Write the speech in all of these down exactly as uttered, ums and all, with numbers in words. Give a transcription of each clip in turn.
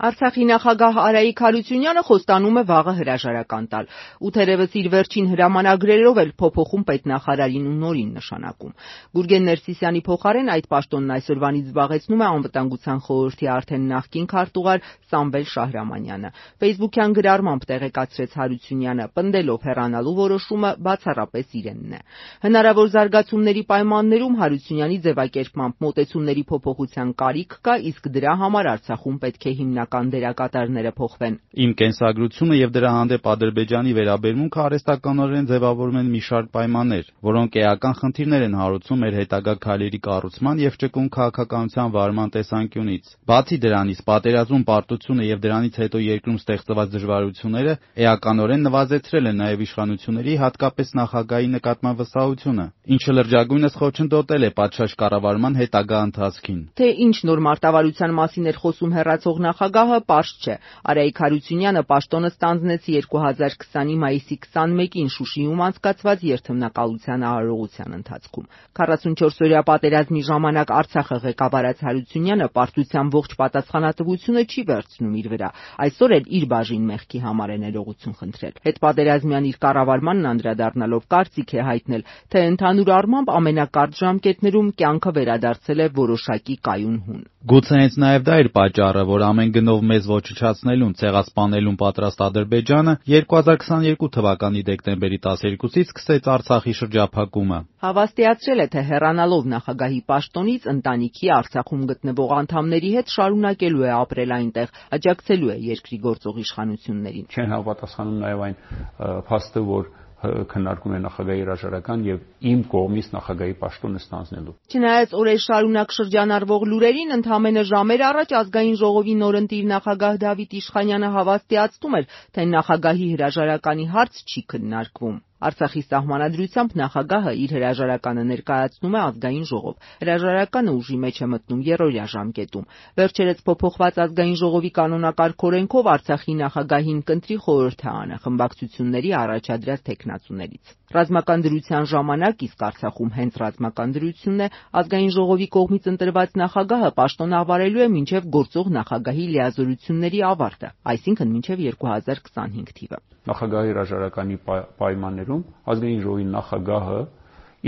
Արցախի նախագահ Արայիկ Հարությունյանը խոստանում է վաղը հրաժարական տալ ու թերևս իր վերջին հրամանագրերով էլ փոփոխում պետնախարարին ու նորին նշանակում։ Գուրգեն Ներսիսյանի փոխարեն այդ պաշտոնն այսօրվանից զբաղեցնում է Անվտանգության խորհրդի արդեն նախկին քարտուղար Սամվել Շահրամանյանը։ Ֆեյսբուքյան գրառմամբ տեղեկացրեց Հարությունյանը, պնդելով հեռանալու որոշումը բացառապես իրենն է։ Հնարավոր զարգացումների պայմաններում Հարությունյանի ձևակերպմամբ մոտեցումների փոփոխության կարիք կա, իսկ դրա համար Արցախում պետք է հիմնական դերակատարները փոխվեն։ Իմ կենսագրությունը եւ դրա հանդեպ Ադրբեջանի վերաբերմունքը արհեստականորեն ձևավորում են մի շարք պայմաններ, որոնք էական խնդիրներ են հարուցում մեր հետագա քայլերի կառուցման եւ ճկուն քաղաքականության վարման տեսանկյունից։ Բացի դրանից, պատերազմում պարտությունը եւ դրանից հետո երկրում ստեղծված դժվարությունները էականորեն նվազեցրել են նաեւ իշխանությունների, հատկապես նախագահի նկատմամբ վստահությունը, ինչը լրջագույնս խոչընդոտել է պատշաճ կառավարման հետագա ընթացքին։ Թե ինչ նոր մարտավարության մասին էր խոսում հեռացող նախագահը, պարզ չէ։ Արայիկ Հարությունյանը պաշտոնը ստանձնեց երկու հազար քսանի մայիսի քսանմեկին Շուշիում անցկացված երթմնակալության արարողության ընթացքում։ քառասունչորսօրյա պատերազմի ժամանակ Արցախը ղեկավարած Հարությունյանը պարտության ողջ պատասխանատվությունը չի վերցնում իր վրա, այսօր էլ իր բաժին մեղքի համար է ներողություն խնդրել։ Հետպատերազմյան իր կառավարմանն անդրադառնալով կարծիք է հայտնել, թե ընդհանուր առմամբ ամենակարճ ժամկետներում կյանքը վերադարձել է որոշակի կայուն հուն։ Գուցե հենց նաև դա էր պատճառը, որ ամեն գնով մեզ ոչնչացնելուն, ցեղասպանելուն պատրաստ Ադրբեջանը երկու հազար քսաներկու թվականի դեկտեմբերի տասներկուսից սկսեց Արցախի շրջափակումը։ Հավաստիացրել է, թե հեռանալով նախագահի պաշտոնից ընտանիքի Արցախում գտնվող անդամների հետ շարունակելու է ապրել այնտեղ, աջակցելու է երկրի գործող իշխանություններին։ Չեն համապատասխանում նաև այն փաստը, որ քննարկում է նախագահի հրաժարական եւ իմ կողմից նախագահի պաշտոնը ստանձնելու։ Չնայած օրեր շարունակ շրջանառվող լուրերին, ընդամենը ժամեր առաջ ազգային ժողովի նորընտիր նախագահ Դավիթ Իշխանյանը հավաստիացնում էր, թե նախագահի հրաժարականի հարց չի քննարկվում։ Արցախի սահմանադրությամբ նախագահը իր հրաժարականը ներկայացնում է ազգային ժողով։ Հրաժարականը ուժի մեջ է մտնում երրորդյա ժամկետում։ Վերջերս փոփոխված ազգային ժողովի կանոնակարգ օրենքով Արցախի նախագահին կընտրի խորհուրդ է անը խմբակցությունների առաջադրած թեկնածուներից։ Ռազմական դրության ժամանակ, իսկ Արցախում հենց ռազմական դրությունն է, ազգային ժողովի կողմից ընտրված նախագահը պաշտոն ավարելու է մինչև գործող նախագահի լիազորությունների ավարտը, այսինքն մինչև երկու հազար քսանհինգ թիվը։ Նախագահի հրաժարականի պայմաններում ազգային ժողովի նախագահը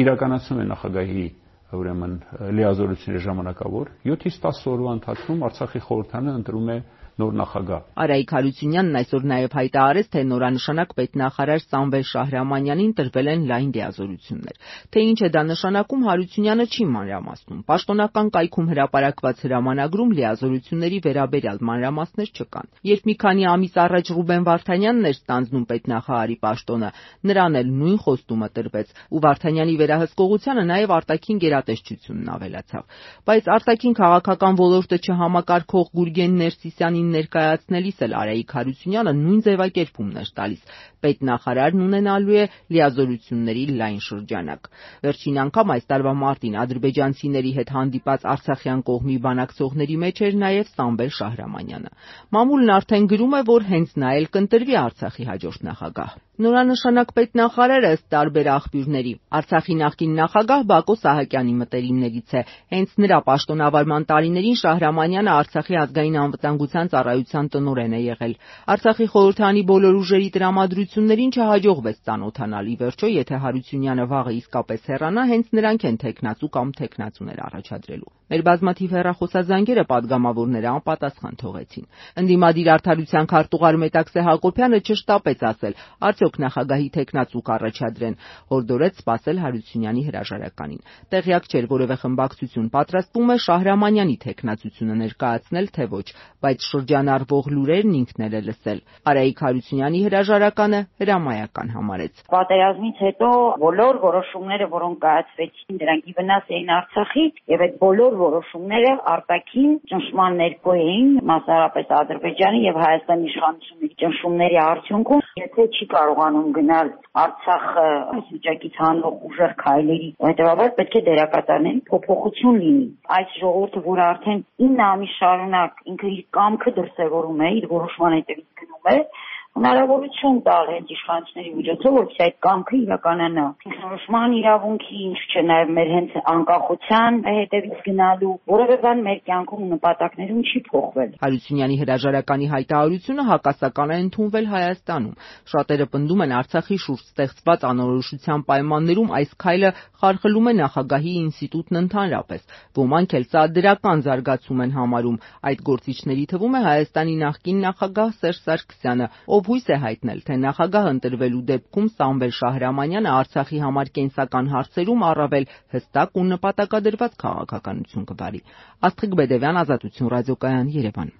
իրականացնում է նախագահի ուրեմն լիազորությունների ժամանակավոր յոթից տասը օրվա ընթացքում Արցախի խորհրդարանը ընտրում է նոր նախագահ։ Արայիկ Հարությունյանն այսօր նաև հայտարարեց, թե նորանշանակ պետնախարար Սամվել Շահրամանյանին տրվել են լայն լիազորություններ։ Թե ինչ է դա նշանակում, Հարությունյանը չի մանրամասնում։ Պաշտոնական կայքում հրապարակված հրամանագրում լիազորությունների վերաբերյալ մանրամասներ չկան։ Երբ մի քանի ամիս առաջ Ռուբեն Վարդանյանն էր ստանձնում պետնախարարի պաշտոնը, նրան էլ նույն խոստումը տրվեց, ու Վարդանյանի վերահսկողությանը նաև արտաքին գերատեսչությունն ավելացավ։ Բայց արտաքին քաղաքական ոլորտը չհամակարգող Գուրգեն Ներսիսյանին ներկայացնելիս էլ Արայիկ Հարությունյանը նույն ձևակերպումն էր տալիս։ Պետնախարարն ունենալու է լիազորությունների լայն շրջանակ։ Վերջին անգամ այս տարվա մարտին ադրբեջանցիների հետ հանդիպած արցախյան կողմի բանակցողների մեջ էր նաև Սամվել Շահրամանյանը։ Մամուլն արդեն գրում է, որ հենց նա էլ կընտրվի Արցախի հաջորդ նախագահ։ Նորանշանակ պետնախարարը ըստ տարբեր աղբյուրների Արցախի նախկին նախագահ Բակո Սահակյանի մտերիմներից է։ Հենց նրա պաշտոնավարման տարիներին Շահրամանյանը Արցախի ազգային անվտանգության ծառայության տնօրեն է եղել։ Արցախի խորհրդարանի բոլոր ուժերի տրամադրություններին չհաջողվեց ծանոթանալ։ Ի վերջո, եթե Հարությունյանը վաղը իսկապես հեռանա, հենց նրանք են թեկնածու կամ թեկնածուներ առաջադրելու։ Մեր բազմաթիվ հեռախոսազանգերը պատգամավորները անպատասխան թողեցին։ Ընդդիմադիր արդարության քարտուղար Մետաքսե Հակոբյանը չշտապեց ասել, արդյոք նախագահի թեկնածու կառաջադրեն, հորդորեց սպասել Հարությունյանի հրաժարականին։ Տեղյակ չէր որևէ խմբակցություն պատրաստվում է Շահրամանյանի թեկնածությունը ներկայացնել, թե ոչ, բայց շրջանառվող լուրերն ինքն էլ է լսել։ Արայիկ Հարությունյանի հրաժարականը հրամայական համարեց։ Պատերազմից հետո բոլոր որոշումները, որոնք կայացվեցին, դրանք ի վնաս էին Արցախի, եւ այդ բոլոր որոշումները արտաքին ճնշման ներքո էին, մասնավորապես Ադրբեջանի եւ Հայաստանի իշխանությունների ճնշումների արդյունքում, եթե չի կարողանում գնալ Արցախը այս վիճակից հանող ուժեղ քայլերի, հետեւաբար պետք է դերակատարների փոփոխություն լինի։ Այս ժողովուրդը, որը արդեն ինը ամիս շարունակ ինքը իր կամքը դրսևորում է, իր որոշման հետևից գնում է, հնարավորություն տալ հենց իշխանությունների միջոցով, որպեսզի այդ կամքը իրականանա։ Ինքնորոշման իրավունքի, ինչ չէ, նաև մեր հենց անկախության հետևից գնալու, որևէ բան մեր կյանքում ու նպատակներում չի փոխվել։ Հարությունյանի հրաժարականի հայտարարությունը հակասական է ընդունվել Հայաստանում։ Շատերը պնդում են Արցախի շուրջ ստեղծված անորոշության պայմաններում այս քայլը խարխլում է նախագահի ինստիտուտն ընդհանրապես։ Ոմանք էլ սա դրական զարգացում են համարում։ Այդ գործիչների թվում է Հայաստանի նախկին նախագահ Սերժ Սարգսյանը, ով հույս է հայտնել, թե նախագահ ընտրվելու դեպքում Սամվել Շահրամանյանը Արցախի համար կենսական հարցերում առավել հստակ ու նպատակադրված քաղաքականություն կվարի։ Աստղիկ Բեդևյան, Ազատություն ռադիոկայան, Երևան։